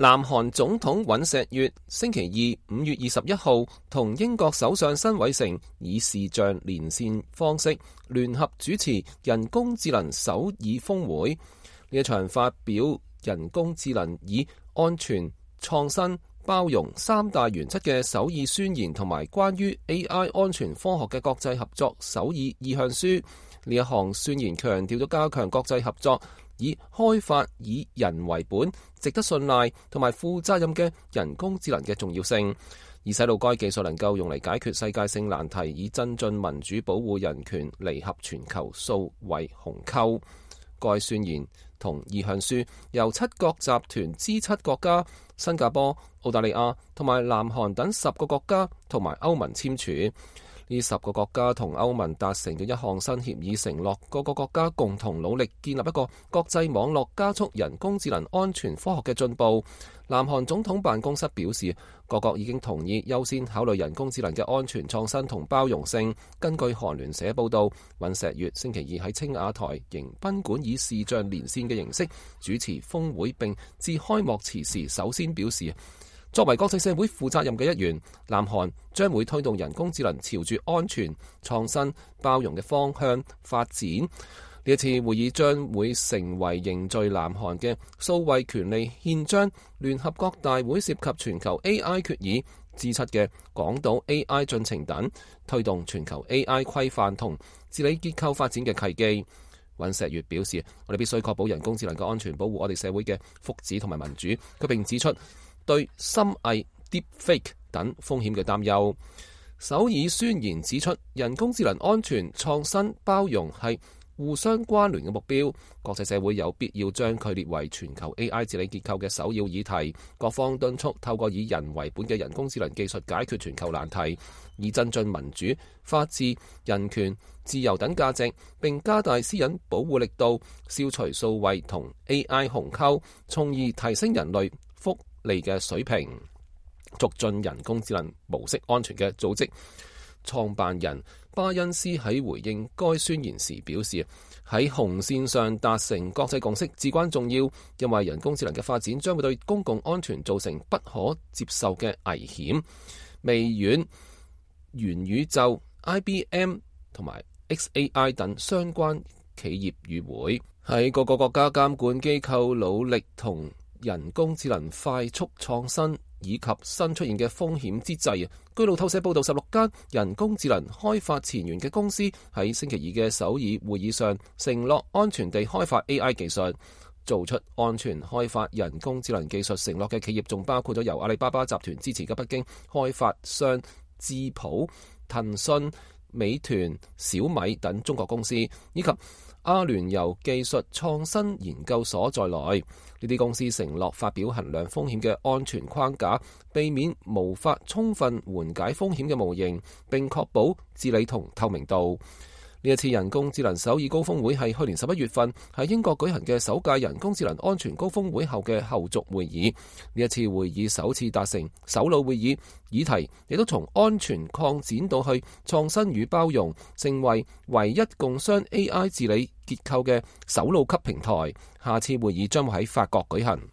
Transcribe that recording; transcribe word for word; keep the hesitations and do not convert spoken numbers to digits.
南韓總統尹錫悅星期二五月二十一號同英國首相辛偉誠以視像連線方式聯合主持人工智能首爾峰會。呢一場發表人工智能以安全、創新、包容三大原則嘅首爾宣言同埋關於 A I 安全科學嘅國際合作首爾意向書。呢一項宣言強調咗加強國際合作，以開發以人為本、值得信賴同埋負責任嘅人工智能嘅重要性，而使到該技術能夠用嚟解決世界性難題，以增進民主、保護人權、彌合全球數位鴻溝。該宣言同意向書由七國集團 G 七國家、新加坡、澳大利亞同埋南韓等十個國家同埋歐盟簽署。呢十個國家同歐盟達成嘅一項新協議，承諾各個國家共同努力建立一個國際網絡，加速人工智能安全科學嘅進步。南韓總統辦公室表示，各國已經同意優先考慮人工智能嘅安全、創新同包容性。根據韓聯社報道，尹錫悅星期二喺青瓦台迎賓館以視像連線嘅形式主持峰會，並致開幕詞時首先表示，作為國際社會負責任嘅一員，南韓將會推動人工智能朝住安全、創新、包容嘅方向發展。呢一次會議將會成為凝聚南韓嘅數位權利憲章聯合國大會涉及全球 A I 決議、G 七嘅廣島 A I 進程等，推動全球 A I 規範同治理結構發展嘅契機。尹錫悅表示，我哋必須確保人工智能嘅安全，保護我哋社會嘅福祉同埋民主。佢並指出對深偽 deepfake 等風險嘅擔憂。首爾宣言指出，人工智能安全、創新、包容係互相關聯嘅目標，國際社會有必要將佢列為全球 A I 治理結構嘅首要議題。各方敦促透過以人為本嘅人工智能技術解決全球難題，以增進民主、法治、人權、自由等價值，並加大私隱保護力度，消除數位同 A I 鴻溝，從而提升人類福利嘅水平。促進人工智能模式安全嘅組織創辦人巴恩斯喺回應該宣言時表示，喺紅線上達成國際共識至關重要，因為人工智能嘅發展將會對公共安全造成不可接受嘅危險。微軟、元宇宙、I B M 同埋 X A I 等相關企業與會，喺各個國家監管機構努力同人工智能快速創新以及新出現嘅風險之際，據路透社報道，十六間人工智能開發前沿嘅公司喺星期二嘅首爾會議上承諾安全地開發 A I 技術。做出安全開發人工智能技術承諾嘅企業仲包括咗由阿里巴巴集團支持嘅北京開發商智譜、騰訊、美團、小米等中國公司，以及阿聯酋技術創新研究所在內。呢啲公司承諾發表衡量風險嘅安全框架，避免無法充分緩解風險嘅模型，並確保治理同透明度。呢一次人工智能首爾高峰會係去年十一月份喺英國舉行嘅首屆人工智能安全高峰會後嘅後續會議。呢一次會議首次達成首腦會議，議題亦都從安全擴展到去創新與包容，成為唯一共商 A I 治理結構嘅首腦級平台。下次會議將會喺法國舉行。